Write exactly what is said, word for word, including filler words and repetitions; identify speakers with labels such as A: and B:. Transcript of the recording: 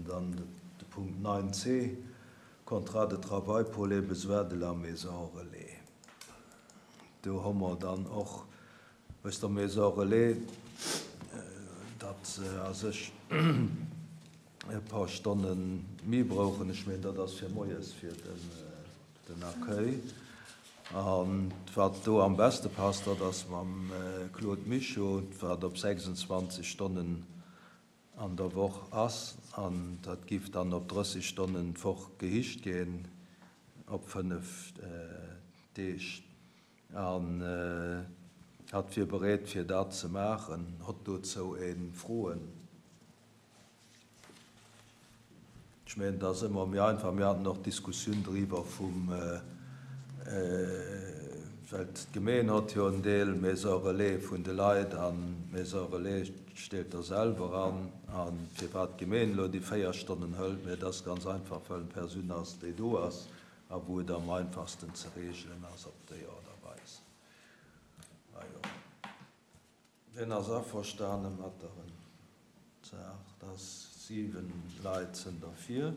A: dann de Punkt neun C, Contrat de travail pour les besoins de la Maison Relais. Do hu mer dann och aus der Maison Relais, datt se a sech e paar Stonne méi brauchen. Ech mengen, dat ass fir moies fir den, den Accueil. An wat do am beste passt, dat ass mam Claude Michaud, wat op sechsundzwanzeg Stonnen an der Woch ass, an dat giff dann op drësseg Stonnen d'Woch gehicht ginn op fënnef Deeg. An hatt wier bereet fir dat ze maachen. Hott dozou ee Froen? Ech mengen, et ass ëmmer méi einfach. Mir haten och d'Diskussioun driwwer vum, well d'Gemeen hott jo en Deel Maison Relais vun de Leit an d'Maison Relais steet der selwer an. A firwat d'Gemeen elo déi véier Stonnen hëlt, mä et ass ganz einfach, well en Persoun ass, déi do ass a wou et am einfachsten ze regelen ass op déi Aart a Weis. Ajo. Wien ass averstane mat der Saach? Dat ass siwen Leit sinn derfir.